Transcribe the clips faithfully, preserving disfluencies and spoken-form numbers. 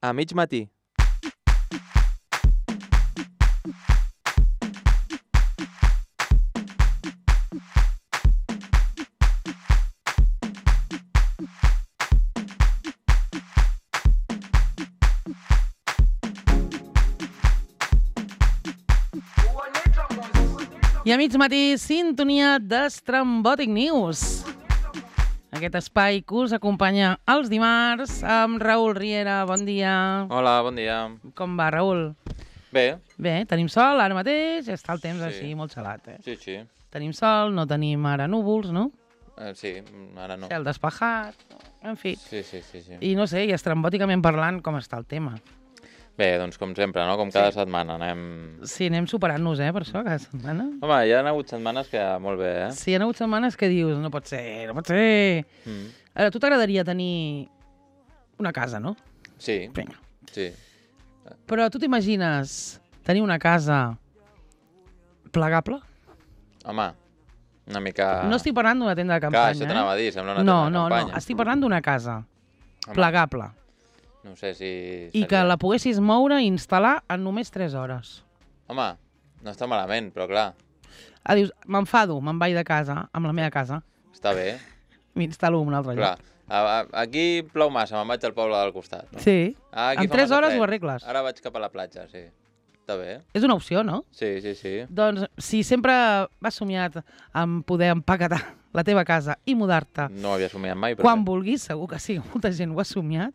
A mig matí. I a mig matí, sintonia d'Estrambòtic News. Aquest espai que us acompanya els dimarts amb Raül Riera. Bon dia. Hola, bon dia. Com va, Raül? Bé. Bé, tenim sol ara mateix, està el temps Sí. així molt gelat, eh? Sí, sí. Tenim sol, no tenim ara núvols, no? Eh, sí, ara no. Cel despejat, en fi. Sí, sí, sí, sí. I no sé, i estrambòticament parlant, com està el tema? Bé, doncs com sempre, no? Com cada setmana anem... Sí, anem superant-nos, eh, per això, cada setmana. Home, hi ha hagut setmanes que molt bé, eh? Sí, hi ha hagut setmanes que dius, no pot ser, no pot ser. Mm. Ara, a tu t'agradaria tenir una casa, no? Sí, Vinga. sí. Però tu t'imagines tenir una casa plegable? Home, una mica... No estic parlant d'una tenda de Clar, campanya, això eh? t'anava a dir, sembla una No, tenda de no, no, campanya. estic parlant d'una casa Home, plegable No sé si... i que la poguessis moure i instal·lar en només tres hores. Home, no està malament, però clar, Ah, dius, m'enfado, me'n vaig de casa, amb la meva casa, està bé. m'instal·lo en un altre Clar, lloc. a, a, aquí plou massa, me'n vaig al poble del costat. No? Sí, Ah, aquí en fa tres massa hores fred. ho arregles. Ara vaig cap a la platja, sí. Està bé. És una opció, no? Sí, sí, sí. Doncs si sempre has somiat en poder empaquetar la teva casa i mudar-te No ho havia somiat mai, però... quan vulguis, segur que sí, molta gent ho ha somiat,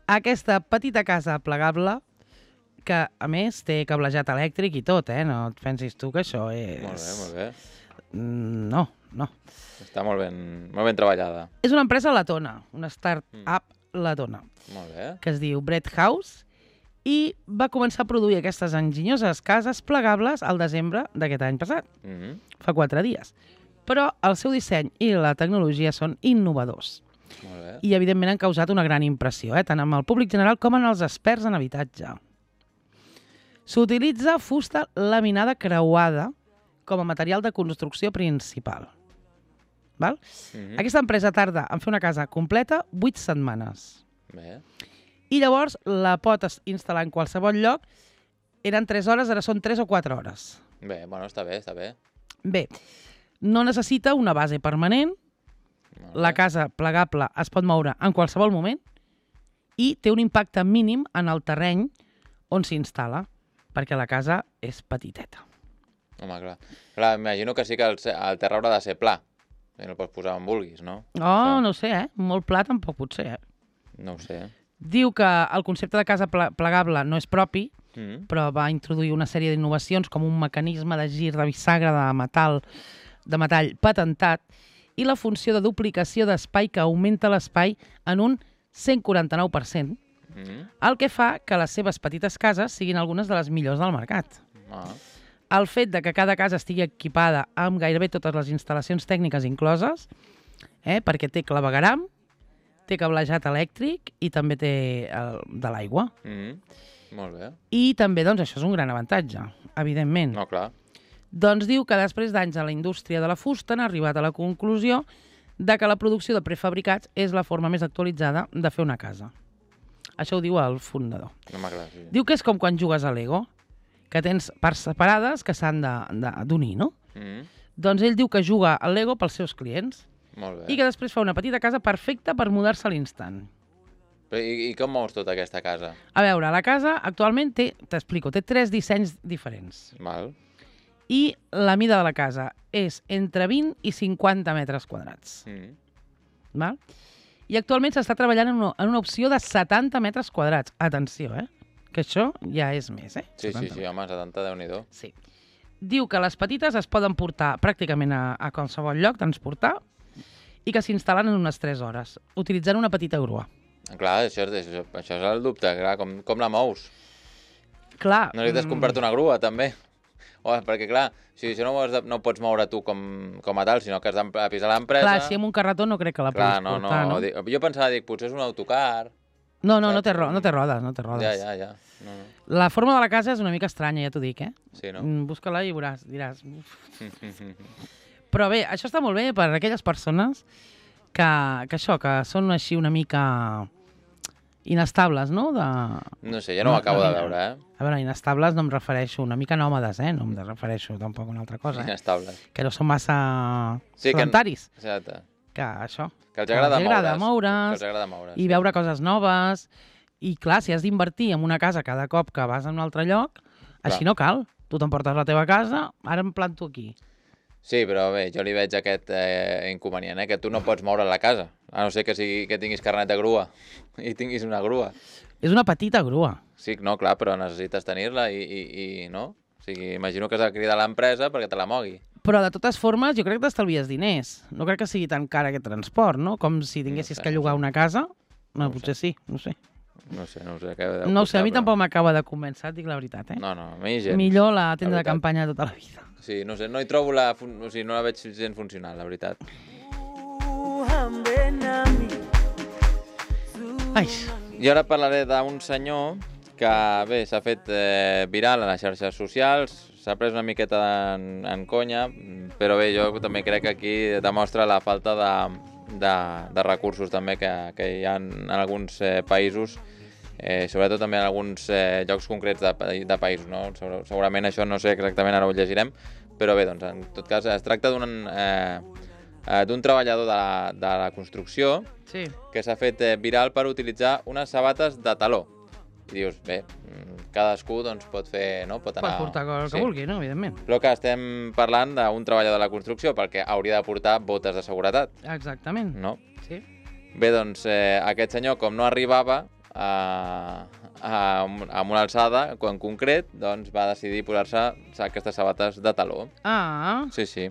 aquesta petita casa plegable, que a més té cablejat elèctric i tot, eh? No et pensis tu que això és... Molt bé, molt bé. Mm, No, no. Està molt ben, molt ben treballada. És una empresa letona, una start-up letona, Molt bé. que es diu Bread House, i va començar a produir aquestes enginyoses cases plegables al desembre d'aquest any passat, Mm -hmm. fa quatre dies. Però el seu disseny i la tecnologia són innovadors. Molt bé. I, evidentment, han causat una gran impressió, eh? tant amb el públic general com en els experts en habitatge. S'utilitza fusta laminada creuada com a material de construcció principal. Val? Mm -hmm. Aquesta empresa tarda en fer una casa completa vuit setmanes. Bé. I llavors la pot instal·lar en qualsevol lloc. Eren tres hores, ara són tres o quatre hores. Bé, bueno, està bé, està bé. Bé, no necessita una base permanent. Molt La bé. casa plegable es pot moure en qualsevol moment i té un impacte mínim en el terreny on s'instal·la, perquè la casa és petiteta. Home, clar. Clar, imagino que sí que el, el terra haurà de ser pla. I el pots posar on vulguis, no? Oh, Això. no ho sé, eh? Molt pla tampoc pot ser, eh? No ho sé. Diu que el concepte de casa ple plegable no és propi, Mm -hmm. però va introduir una sèrie d'innovacions com un mecanisme de gir de bisagra de metall, de metall patentat i la funció de duplicació d'espai que augmenta l'espai en un cent quaranta-nou per cent, Mm -hmm. el que fa que les seves petites cases siguin algunes de les millors del mercat. Ah. El fet de que cada casa estigui equipada amb gairebé totes les instal·lacions tècniques incloses, eh, perquè té clavegueram, té cablejat elèctric i també té el, de l'aigua. Mm -hmm. Molt bé. I també, doncs, això és un gran avantatge, evidentment. No, clar. Doncs diu que després d'anys a la indústria de la fusta han arribat a la conclusió de que la producció de prefabricats és la forma més actualitzada de fer una casa. Això ho diu el fundador. No m'agrada, sí. Diu que és com quan jugues a Lego, que tens parts separades que s'han d'unir, no? Mm -hmm. Doncs ell diu que juga al Lego pels seus clients Molt bé. i que després fa una petita casa perfecta per mudar-se a l'instant. Però i, I com mous tota aquesta casa? A veure, la casa actualment té, t'explico, té tres dissenys diferents. Val. I la mida de la casa és entre vint i cinquanta metres quadrats. Mm -hmm. Val? I actualment s'està treballant en una, en una opció de setanta metres quadrats. Atenció, eh? Que això ja és més, eh? Sí, sí, setanta sí, home, setanta, Déu-n'hi-do. Sí. Diu que les petites es poden portar pràcticament a, a qualsevol lloc, transportar, i que s'instal·len en unes tres hores, utilitzant una petita grua. Clar, això, és- això, això és el dubte, clar, com, com la mous? Clar... No necessites mm, comprar-te una grua, també? O, perquè, clar, si això no, ho has de, no ho pots moure tu com, com a tal, sinó que has d'avisar l'empresa... Clar, si amb un carretó no crec que la Clar, puguis no, portar, no? no, dic, jo pensava, dic, potser és un autocar... No, no, no saps? té, ro no té rodes, no té rodes. Ja, ja, ja. No, no. La forma de la casa és una mica estranya, ja t'ho dic, eh? Sí, no? Mm, Busca-la i veuràs, diràs... Uf. Però bé, això està molt bé per a aquelles persones que, que això, que són així una mica inestables, no? De... No sé, ja no, no ho acabo no, de veure, eh? A veure, inestables no em refereixo, una mica nòmades, eh? No em refereixo tampoc a una altra cosa, eh? Inestables. Que no són massa sí, sedentaris. Que... Exacte. Que això. Que els agrada, que els agrada moure's. moure's. Que els agrada moure's. I sí. veure coses noves. I clar, si has d'invertir en una casa cada cop que vas a un altre lloc, clar. Així no cal. Tu t'emportes la teva casa, ara em planto aquí. Sí, però bé, jo li veig aquest eh, inconvenient, eh? Que tu no pots moure la casa, a no ser que, sigui, que tinguis carnet de grua i tinguis una grua. És una petita grua. Sí, no, clar, però necessites tenir-la i, i, i no? O sigui, imagino que has de cridar a l'empresa perquè te la mogui. Però de totes formes jo crec que t'estalvies diners. No crec que sigui tan car aquest transport, no? Com si tinguessis no sé, que llogar no sé. una casa. No, no potser sé. sí, no sé. No sé, no sé. Què no sé, a mi però... tampoc m'acaba de convèncer, dic la veritat, eh? No, no, a mi gens. Millor la tenda de campanya tota la vida. Sí, no sé, no hi trobo la... O sigui, no la veig gens funcional, la veritat. Ai. I ara parlaré d'un senyor que, bé, s'ha fet eh, viral a les xarxes socials, s'ha pres una miqueta en, en conya, però bé, jo també crec que aquí demostra la falta de, de, de recursos també que, que hi ha en, en alguns eh, països, eh, sobretot també en alguns eh, llocs concrets de, de països, no? Segurament això no sé exactament, ara ho llegirem, però bé, doncs, en tot cas es tracta d'un eh, d'un treballador de la, de la construcció sí. que s'ha fet eh, viral per utilitzar unes sabates de taló. I dius, bé, cadascú doncs, pot fer, no? Pot anar... Pot portar el que sí. vulgui, no? Evidentment. Però que estem parlant d'un treballador de la construcció perquè hauria de portar botes de seguretat. Exactament. No? Sí. Bé, doncs, eh, aquest senyor, com no arribava a, a, a una alçada en concret, doncs va decidir posar-se aquestes sabates de taló. Ah. Sí, sí.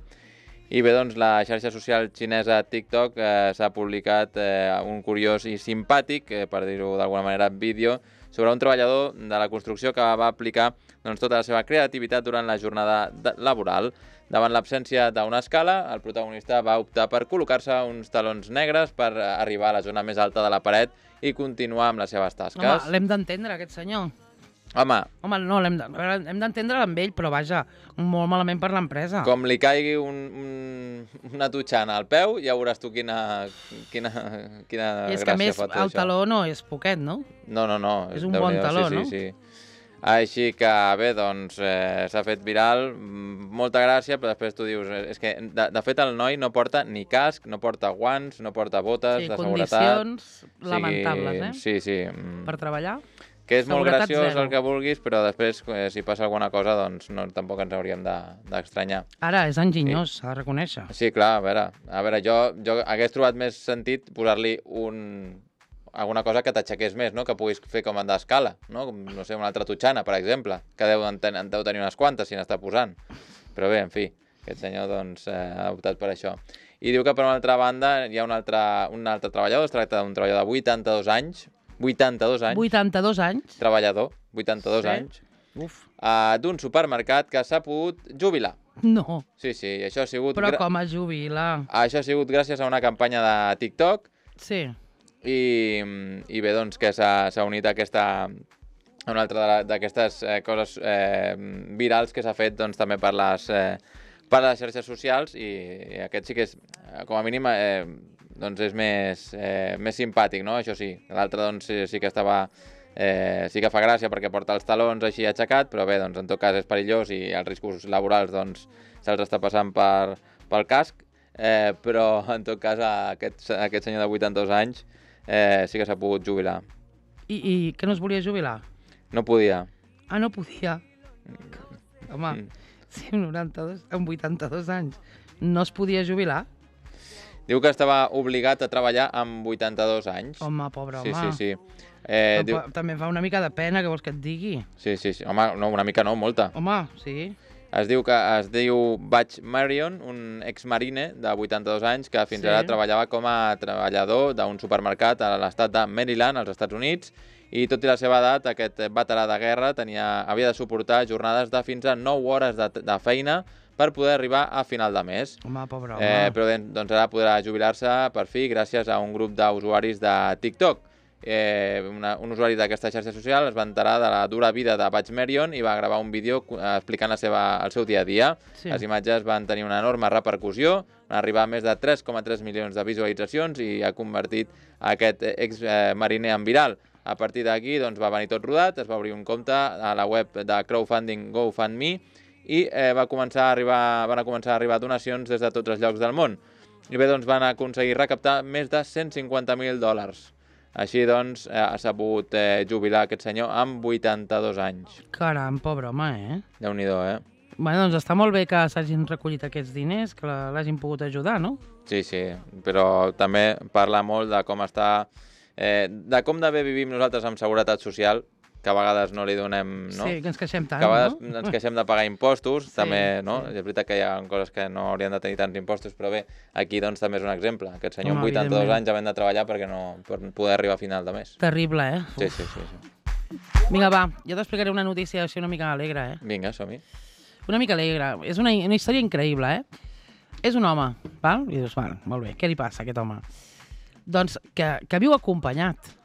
I bé, doncs, la xarxa social xinesa TikTok eh, s'ha publicat eh, un curiós i simpàtic, eh, per dir-ho d'alguna manera, vídeo, sobre un treballador de la construcció que va aplicar doncs, tota la seva creativitat durant la jornada laboral. Davant l'absència d'una escala, el protagonista va optar per col·locar-se uns talons negres per arribar a la zona més alta de la paret i continuar amb les seves tasques. Home, l'hem d'entendre, aquest senyor. Home, Home, no, hem d'entendre amb ell, però vaja, molt malament per l'empresa. Com li caigui un, un, una tutxana al peu, ja veuràs tu quina, quina, quina és gràcia que, més, fa tot el això. taló no és poquet, no? No, no, no. És un bon taló, sí, no? Sí, sí. Així que, bé, doncs, eh, s'ha fet viral, molta gràcia, però després tu dius, és que, de, de fet, el noi no porta ni casc, no porta guants, no porta botes sí, de seguretat. condicions lamentables, eh? Sí, sí. Per treballar. Que és molt Seguretat graciós zero. el que vulguis, però després, eh, si passa alguna cosa, doncs no, tampoc ens hauríem d'estranyar. De, Ara, és enginyós, s'ha de reconèixer. Sí, clar, a veure, a veure jo, jo hagués trobat més sentit posar-li un... alguna cosa que t'aixequés més, no? Que puguis fer com d'escala, no? Com, no sé, una altra tutxana, per exemple, que deu, en, en deu tenir unes quantes si n'està posant. Però bé, en fi, aquest senyor doncs, eh, ha optat per això. I diu que per una altra banda hi ha un altre, un altre treballador, es tracta d'un treballador de vuitanta-dos anys, vuitanta-dos anys. vuitanta-dos anys. Treballador, vuitanta-dos sí. anys. Uf. Uh, d'un supermercat que s'ha pogut jubilar. No. Sí, sí, això ha sigut... Però com es jubila? Això ha sigut gràcies a una campanya de TikTok. Sí. I, i bé, doncs, que s'ha unit a aquesta... a una altra d'aquestes eh, coses eh, virals que s'ha fet doncs, també per les, eh, per les xarxes socials i, i aquest sí que és, com a mínim, eh, doncs és més, eh, més simpàtic, no? Això sí. L'altre doncs, sí, sí que estava... Eh, sí que fa gràcia perquè porta els talons així aixecat, però bé, doncs, en tot cas és perillós i els riscos laborals doncs, se'ls està passant per, pel casc, eh, però en tot cas aquest, aquest senyor de vuitanta-dos anys eh, sí que s'ha pogut jubilar. I, I que no es volia jubilar? No podia. Ah, no podia? Home, mm. si amb, noranta-dos, amb vuitanta-dos anys no es podia jubilar? Diu que estava obligat a treballar amb vuitanta-dos anys. Home, pobre home. Sí, sí, sí. Eh, diu... També fa una mica de pena, que vols que et digui? Sí, sí, sí. Home, no, una mica no, molta. Home, sí. Es diu que es diu Butch Marion, un exmarine de vuitanta-dos anys que fins sí. ara treballava com a treballador d'un supermercat a l'estat de Maryland, als Estats Units, i tot i la seva edat, aquest veterà de guerra tenia, havia de suportar jornades de fins a nou hores de, de feina per poder arribar a final de mes. Home, pobre home. Eh, però doncs ara podrà jubilar-se per fi gràcies a un grup d'usuaris de TikTok. Eh, una, un usuari d'aquesta xarxa social es va enterar de la dura vida de Butch Marion i va gravar un vídeo explicant la seva, el seu dia a dia. Sí. Les imatges van tenir una enorme repercussió, van arribar a més de tres coma tres milions de visualitzacions i ha convertit aquest ex-mariner en viral. A partir d'aquí doncs, va venir tot rodat, es va obrir un compte a la web de crowdfunding GoFundMe i eh, va començar a arribar, van a començar a arribar donacions des de tots els llocs del món. I bé, doncs van aconseguir recaptar més de cent cinquanta mil dòlars. Així doncs eh, s'ha pogut eh, jubilar aquest senyor amb vuitanta-dos anys. Caram, pobre home, eh? Déu-n'hi-do, eh? Bé, doncs està molt bé que s'hagin recollit aquests diners, que l'hagin pogut ajudar, no? Sí, sí, però també parla molt de com està... Eh, de com de bé vivim nosaltres amb seguretat social, que a vegades no li donem... No? Sí, que ens queixem tant, que a vegades no? ens queixem de pagar impostos, Sí, també, no? sí. És veritat que hi ha coses que no haurien de tenir tants impostos, però bé, aquí doncs també és un exemple. Aquest senyor Home, amb vuitanta-dos evidentment. anys havent de treballar perquè no, per poder arribar a final de mes. Terrible, eh? Sí, sí, sí, sí. Vinga, va, jo t'explicaré una notícia així una mica alegre, eh? Vinga, som-hi. Una mica alegre. És una, una història increïble, eh? És un home, val? I dius, val, molt bé, què li passa a aquest home? Doncs que, que viu acompanyat.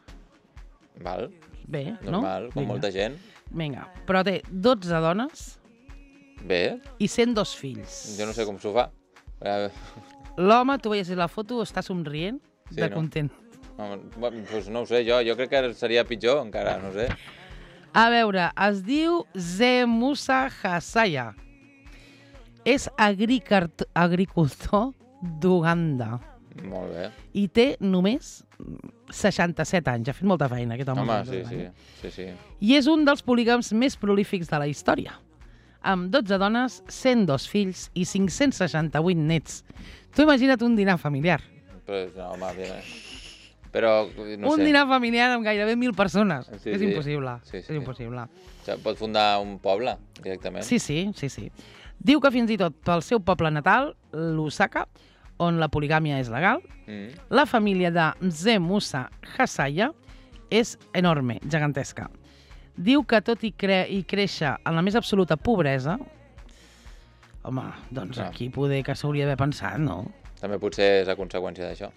Val, Bé, no? normal, com Vinga. molta gent. Vinga, però té dotze dones Bé, i cent dos fills. jo no sé com s'ho fa. Eh, L'home, tu veies la foto, està somrient Sí, de no? content. no, doncs no ho sé, jo, jo crec que seria pitjor encara, no sé. A veure, es diu Zemusa Hasaya. És agricart- agricultor d'Uganda Molt bé. i té només seixanta-set anys. Ha fet molta feina, aquest home. Home, amb sí, dotze sí, anys. sí, sí. I és un dels polígams més prolífics de la història, amb dotze dones, cent dos fills i cinc-cents seixanta-vuit nets. Tu imagina't un dinar familiar. Però, no, home, bé, però, no un sé. dinar familiar amb gairebé mil persones. Sí, és sí. impossible. Sí, sí. És impossible. O sigui, pot fundar un poble, directament. Sí, sí, sí, sí. Diu que fins i tot pel seu poble natal, l'Osaka, on la poligàmia és legal, Mm. la família de Mzee Musa Hasaya és enorme, gegantesca. Diu que tot i, cre i créixer en la més absoluta pobresa, home, doncs Ah. aquí poder que s'hauria d'haver pensat, no? També potser és a conseqüència d'això.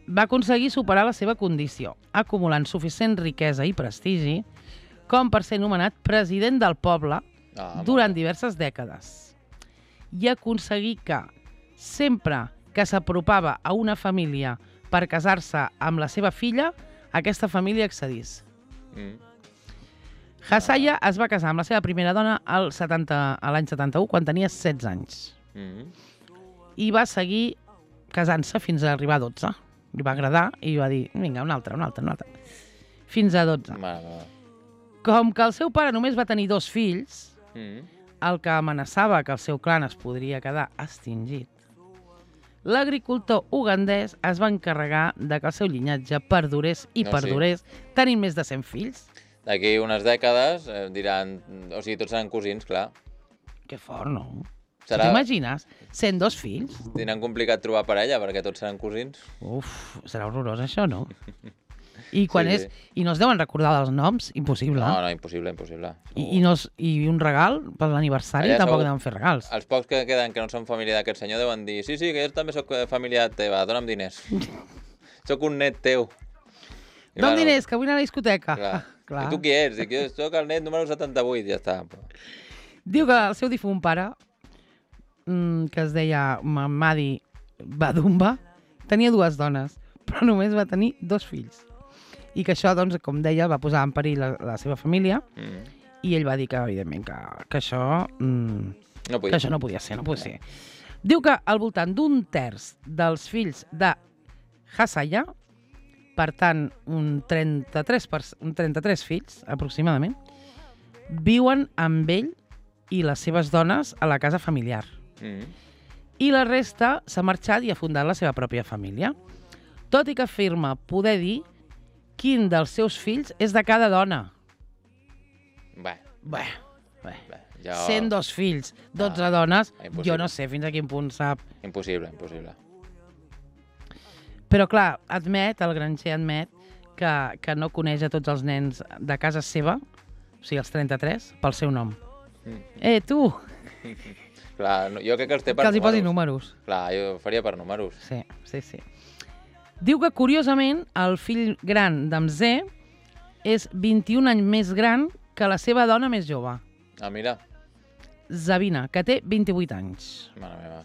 Va aconseguir superar la seva condició, acumulant suficient riquesa i prestigi com per ser nomenat president del poble Ah, durant diverses dècades. I aconseguir que, sempre que s'apropava a una família per casar-se amb la seva filla, aquesta família accedís. Mm. Hasaya es va casar amb la seva primera dona al setanta a l'any setanta-u, quan tenia setze anys. Mm. I va seguir casant-se fins a arribar a dotze. Li va agradar i va dir, vinga, una altra, una altra, una altra. Fins a dotze. Mare meva. Com que el seu pare només va tenir dos fills, Mm. el que amenaçava que el seu clan es podria quedar extingit, l'agricultor ugandès es va encarregar de que el seu llinatge perdurés i No, perdurés, tenint més de cent fills. D'aquí unes dècades eh, diran... O sigui, tots seran cosins, clar. Que fort, no? Serà... T'imagines? cent dos fills? Tindran complicat trobar parella, perquè tots seran cosins. Uf, serà horrorós això, no? I quan Sí, és... sí. I no es deuen recordar dels noms? Impossible. No, no, impossible, impossible. I, i, no es, I un regal per l'aniversari Allà tampoc segur- deuen fer regals. Els pocs que queden que no són família d'aquest senyor deuen dir sí, sí, que jo també sóc família teva, dona'm diners. Sóc un net teu. I, D'on bueno, diners, que vull anar a la discoteca. Clar. Clar. I tu qui ets? Dic, jo sóc el net número setanta-vuit, ja està. Diu que el seu difunt pare, mm, que es deia Mamadi Badumba, tenia dues dones, però només va tenir dos fills. I que això, doncs, com deia, va posar en perill la, la seva família, Mm. i ell va dir que, evidentment, que, que, això, mm, No que podia. això no podia ser, no podia ser. Diu que al voltant d'un terç dels fills de Hasaya, per tant, un trenta-tres, per, un trenta-tres fills, aproximadament, viuen amb ell i les seves dones a la casa familiar. Mm. I la resta s'ha marxat i ha fundat la seva pròpia família. Tot i que afirma poder dir quin dels seus fills és de cada dona. Bé, Bé, bé. bé, jo... cent dos fills, dotze Ah, dones, impossible. jo no sé fins a quin punt sap. Impossible, impossible. Però clar, admet, el granger admet, que, que no coneix a tots els nens de casa seva, o sigui, els trenta-tres, pel seu nom. Mm. Eh, tu, Clar, no, jo crec que els té per que els hi posi números. números. Clar, jo ho faria per números. Sí, sí, sí. Diu que, curiosament, el fill gran d'Amzé és vint-i-un anys més gran que la seva dona més jove, Ah, mira. Zabina, que té vint-i-vuit anys. Mare meva.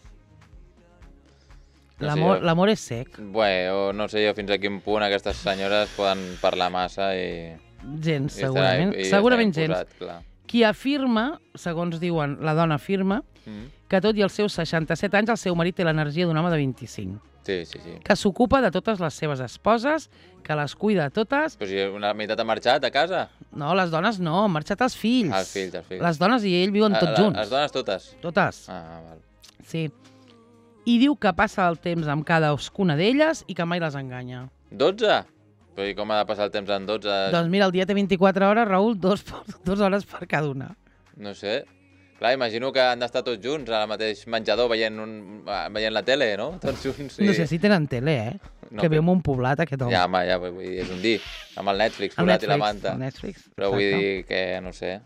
No sé L'amor jo. l'amor és sec. Bé, o no sé jo fins a quin punt aquestes senyores poden parlar massa i... gens, I estarà- segurament. i estarà Segurament gens. imposat, clar. Qui afirma, segons diuen, la dona afirma, Mm. que tot i els seus seixanta-set anys el seu marit té l'energia d'un home de vint-i-cinc. Sí, sí, sí. Que s'ocupa de totes les seves esposes, que les cuida totes. Però si una meitat ha marxat a casa. No, les dones no, han marxat els fills. Els fills, els fills. Les dones i ell viuen Ah, tots la- junts. Les dones totes. Totes, Ah, val. sí. I diu que passa el temps amb cadascuna d'elles i que mai les enganya. dotze? Però i com ha de passar el temps en dotze? Doncs mira, el dia té vint-i-quatre hores, Raül, dos, dos hores per cada una. No sé. Clar, imagino que han d'estar tots junts al mateix menjador veient, un, veient la tele, no? Tots junts. Sí. No sé si tenen tele, eh? No, que però- viu en un poblat, aquest home. Ja, home, ja, vull dir, és un dir. Amb el Netflix, El posat i la Netflix, manta. el Netflix, Però vull exacte. dir que, no sé...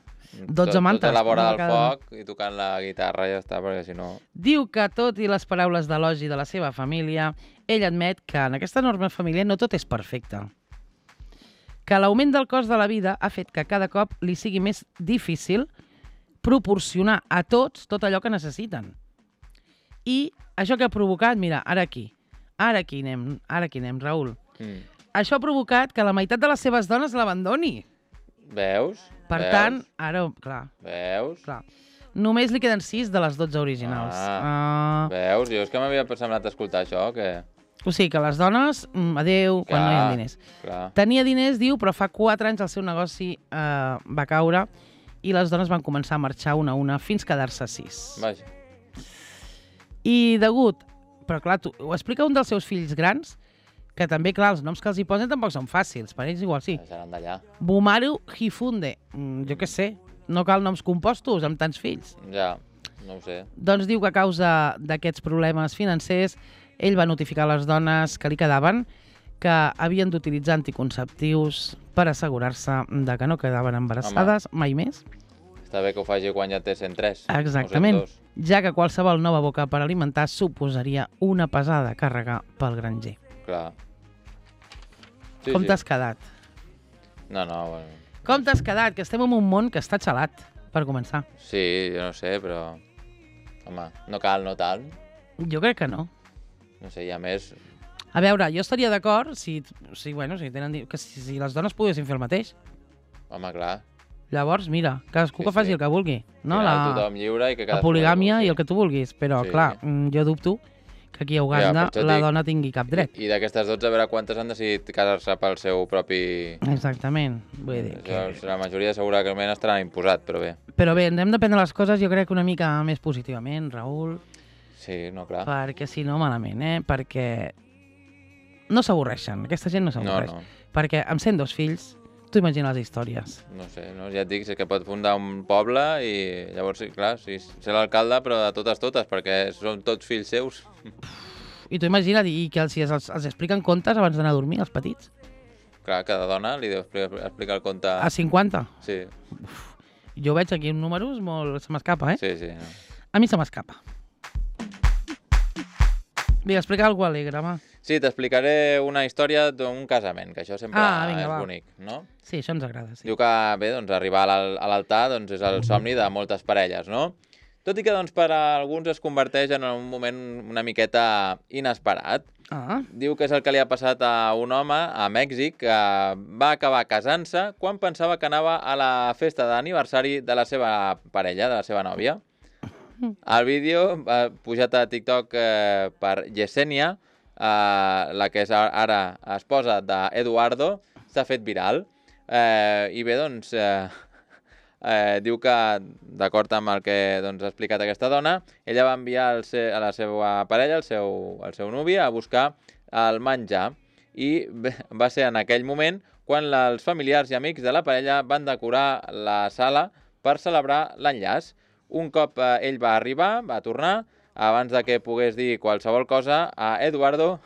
dotze tot, mantes, Tot a la vora una del cada- foc i tocant la guitarra ja està, perquè si no... Diu que, tot i les paraules d'elogi de la seva família, ell admet que en aquesta enorme família no tot és perfecte. Que l'augment del cost de la vida ha fet que cada cop li sigui més difícil proporcionar a tots tot allò que necessiten. I això que ha provocat, mira, ara aquí, ara aquí anem, ara aquí anem, Raül. Mm. Això ha provocat que la meitat de les seves dones l'abandoni. Veus? Per Veus? tant, ara, clar, Veus? clar, només li queden sis de les dotze originals. Ah. Ah. Veus? Jo és que m'havia semblat escoltar això, que... O sigui que les dones, mm, adeu, quan no hi ha Clar, diners. Clar. Tenia diners, diu, però fa quatre anys el seu negoci eh, va caure i les dones van començar a marxar una a una fins quedar-se sis. Vaja. I degut, però clar, tu, ho explica un dels seus fills grans, que també, clar, els noms que els hi posen tampoc són fàcils, per ells igual sí. Seran d'allà. Bumaru Hifunde, mm, jo què sé, no cal noms compostos amb tants fills. Ja, no ho sé. Doncs diu que a causa d'aquests problemes financers, ell va notificar a les dones que li quedaven que havien d'utilitzar anticonceptius per assegurar-se de que no quedaven embarassades mai més. Està bé que ho faci quan ja té cent tres. Exactament, O cent dos. ja que qualsevol nova boca per alimentar suposaria una pesada càrrega pel granger. Clar. Sí, Com sí. t'has quedat? No, no, bueno... Com t'has quedat? Que estem en un món que està xalat, per començar. Sí, jo no sé, però... Home, no cal, no tant. Jo crec que no. No sé, i a més... A veure, jo estaria d'acord si, si, bueno, si, tenen, di- que si, si les dones poguessin fer el mateix. Home, clar. Llavors, mira, cadascú Sí, que faci sí. el que vulgui. No? Al final La, tothom lliure i que la cadascú... polígamia sí. i el que tu vulguis. Però, Sí. clar, mm, jo dubto que aquí a Uganda per això la dic- dona tingui cap dret. I, i d'aquestes dotze, a veure quantes han decidit casar-se pel seu propi... Exactament. Vull dir que... Això, la majoria segurament estaran imposat, però bé. Però bé, hem de prendre les coses jo crec que una mica més positivament, Raül, Sí, no, clar. perquè si no, malament, eh? Perquè no s'avorreixen, aquesta gent no No, s'avorreix. no, Perquè amb sent dos fills, tu imagina les històries. no sé, no? Ja et dic, és que pot fundar un poble i llavors, sí, clar, sí, ser l'alcalde, però de totes, totes, perquè són tots fills seus. I tu imagina't, i que els, els, els expliquen contes abans d'anar a dormir, els petits? Clar, cada dona li deu expli- explicar el conte... A cinquanta. Sí, Jo veig aquí números molt... Se m'escapa, eh? sí, sí. No. A mi se m'escapa. Vinga, explica alguna cosa alegre, va. Sí, t'explicaré una història d'un casament, que això sempre Ah, vinga, és va. bonic, no? Sí, això ens agrada, sí. Diu que, bé, doncs, arribar a l'al- a l'altar doncs, és el somni de moltes parelles, no? Tot i que doncs, per a alguns es converteix en un moment una miqueta inesperat. Ah, Diu que és el que li ha passat a un home a Mèxic que va acabar casant-se quan pensava que anava a la festa d'aniversari de la seva parella, de la seva nòvia. El vídeo ha pujat a TikTok eh, per Yesenia, eh, la que és ara esposa d'Eduardo, s'ha fet viral. Eh, I bé, doncs, eh, eh, diu que, d'acord amb el que doncs, ha explicat aquesta dona, ella va enviar el se a la seva parella, el seu, el seu nuvi, a buscar el menjar. I bé, va ser en aquell moment quan la, els familiars i amics de la parella van decorar la sala per celebrar l'enllaç. Un cop eh, ell va arribar, va tornar, abans de que pogués dir qualsevol cosa, a Eduardo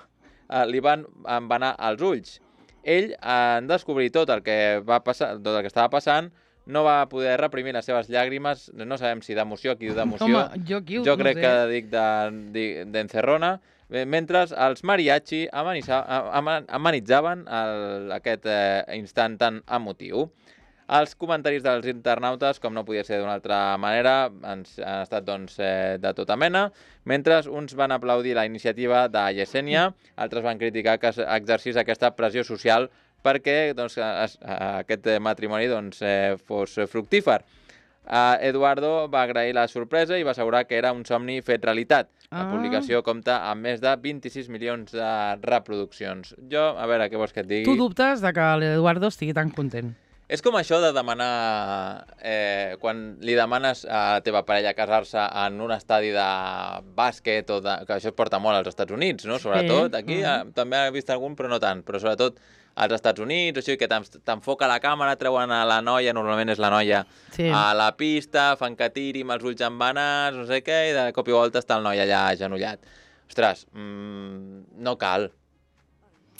eh, li van envenar els ulls. Ell, en descobrir tot el que va passar, tot el que estava passant, no va poder reprimir les seves llàgrimes, no sabem si d'emoció, qui diu d'emoció, home, jo aquí jo no crec sé. que dic de- di- d'encerrona, de, mentre els mariachi amanissa- ama- amanitzaven el, aquest eh, instant tan emotiu. Els comentaris dels internautes, com no podia ser d'una altra manera, ens, han estat doncs, eh, de tota mena, mentre uns van aplaudir la iniciativa de Yesenia, altres van criticar que exercís aquesta pressió social perquè doncs, es, aquest matrimoni doncs, eh, fos fructífer. Uh, Eduardo va agrair la sorpresa i va assegurar que era un somni fet realitat. La Ah. publicació compta amb més de vint-i-sis milions de reproduccions. Jo, a veure, què vols que et digui? Tu dubtes de que l'Eduardo estigui tan content. És com això de demanar... Eh, quan li demanes a la teva parella casar-se en un estadi de bàsquet, o de, que això es porta molt als Estats Units, no? Sobretot, aquí Mm. eh, també he vist algun, però no tant. Però sobretot als Estats Units, així que t'en- t'enfoca la càmera, treuen a la noia, normalment és la noia, Sí. a la pista, fan que tiri amb els ulls embanats, no sé què, i de cop i volta està el noi allà agenollat. Ostres, mmm, no cal.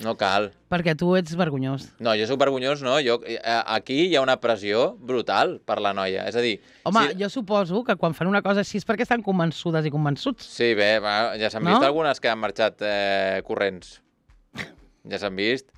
No cal. Perquè tu ets vergonyós. No, jo sóc vergonyós, no. Jo, eh, aquí hi ha una pressió brutal per la noia. És a dir... Home, si... jo suposo que quan fan una cosa així és perquè estan convençudes i convençuts. Sí, bé, va, ja s'han No? vist algunes que han marxat eh, corrents. Ja s'han vist.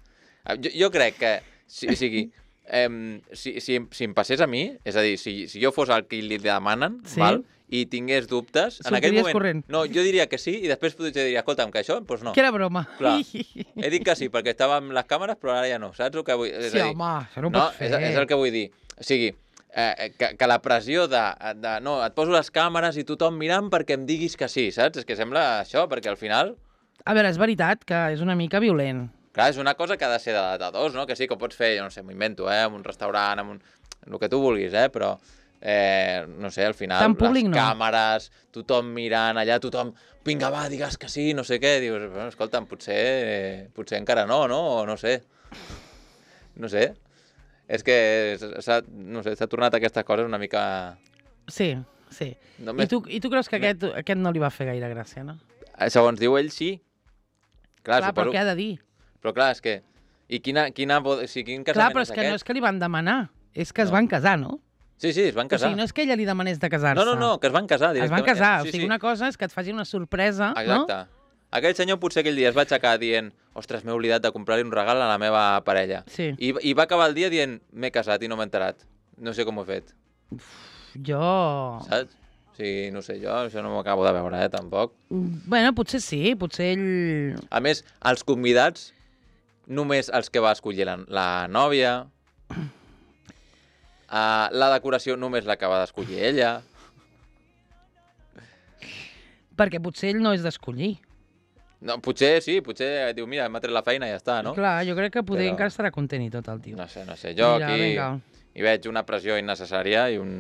Jo, jo crec que, si, o sigui, eh, si, si, si em passés a mi, és a dir, si, si jo fos el que li demanen, Sí. val, i tingués dubtes, en aquell Sortiries moment... corrent. No, jo diria que sí, i després potser diria, escolta'm, que això, doncs no. Que era broma. Clar. He dit que sí, perquè estava amb les càmeres, però ara ja no. Saps el que vull és Sí, a dir, home, això no ho no, pots fer. és, és el que vull dir. O sigui, eh, que, que la pressió de, de... No, et poso les càmeres i tothom mirant perquè em diguis que sí, saps? És que sembla això, perquè al final... A veure, és veritat que és una mica violent. Clar, és una cosa que ha de ser de, de dos, no? Que sí, que ho pots fer, jo no sé, m'ho invento, eh? En un restaurant, en un... el que tu vulguis, eh? Però, eh, no sé, al final, Tan públic, les no. càmeres, tothom mirant allà, tothom, vinga, va, digues que sí, no sé què. Dius, bueno, escolta'm, potser, eh, potser encara no, no? O no sé. No sé. És que s'ha, no sé, s'ha tornat aquestes coses una mica... Sí, sí. Només... I, tu, I tu creus que aquest, aquest no li va fer gaire gràcia, no? Segons diu ell, sí. Clar, Clar, però suposo... què ha de dir? Però clar, és que... I quina... quina... O sigui, quin Clar, casament però és és que aquest? no és que li van demanar, és que es No. van casar, no? Sí, sí, es van O casar. sigui, no és que ella li demanés de casar-se. No, no, no, que es van casar. Es van directament. casar, Sí, o sigui, sí. una cosa és que et facin una sorpresa, Exacte. no? Aquell senyor potser aquell dia es va aixecar dient ostres, m'he oblidat de comprar-li un regal a la meva parella. Sí. I, I va acabar el dia dient m'he casat i no m'he enterat. No sé com ho he fet. Jo... Saps? O sigui, no sé, jo això no m'ho acabo de veure, eh, tampoc. Bueno, potser sí, potser ell... A més, els convidats, només els que va escollir la, la nòvia, uh, la decoració només la que va d'escollir ella. Perquè potser ell no és d'escollir. No, potser sí, potser diu, mira, m'ha tret la feina i ja està, no? Clar, jo crec que poder Però- encara estarà content i tot el tio. No sé, no sé. Jo Mira, aquí vinga. hi veig una pressió innecessària i un...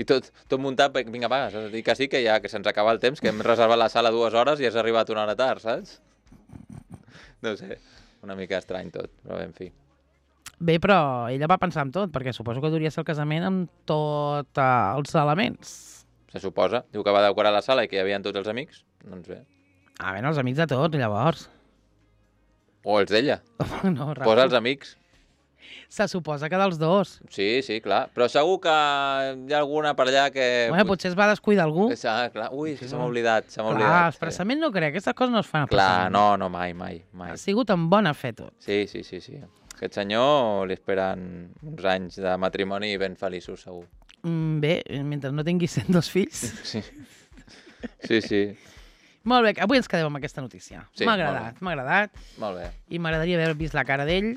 I tot, tot muntat, per- vinga, va, has de dir que sí, que ja que se'ns acaba el temps, que hem reservat la sala dues hores i has arribat una hora tard, saps? No sé, una mica estrany tot, però bé, en fi. Bé, però ella va pensar en tot, perquè suposo que duria ser el casament amb tots els elements. Se suposa. Diu que va decorar la sala i que hi havia tots els amics. Doncs bé. Ah, bé, els amics de tot, llavors. O els d'ella. No, Raül. Posa els amics. Se suposa que dels dos. Sí, sí, clar. Però segur que hi ha alguna per allà que... Bueno, potser es va descuidar algú. Que s'ha- clar. Ui, és que se m'ha oblidat, se m'ha Clar, oblidat. expressament no crec, aquestes coses no es fan Clar, expressament. no, no, mai, mai, mai. Ha sigut amb bona fe tot. Sí, sí, sí, sí. Aquest senyor li esperen uns anys de matrimoni ben feliços, segur. Mm, bé, mentre no tinguis cent dos fills. Sí, sí, sí. Molt bé, avui ens quedem amb aquesta notícia. Sí, m'ha molt agradat, m'ha agradat. Molt bé. I m'agradaria haver vist la cara d'ell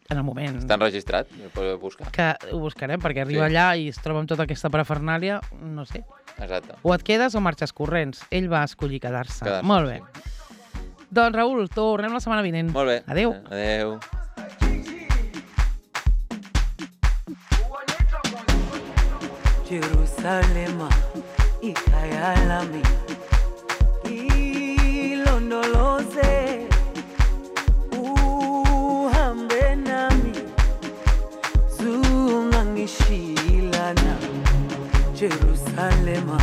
en el moment Està enregistrat? Ho podeu buscar. que ho buscarem, perquè arriba Sí. allà i es troba amb tota aquesta parafernàlia, no sé. Exacte. O et quedes o marxes corrents. Ell va escollir quedar-se. Quedar-se, Molt bé. Doncs, Raül, tornem la setmana vinent. Molt bé. Adéu. Adéu. Jerusalema ikhaya lami ilondoloze uhambe nami zungangishilana Jerusalema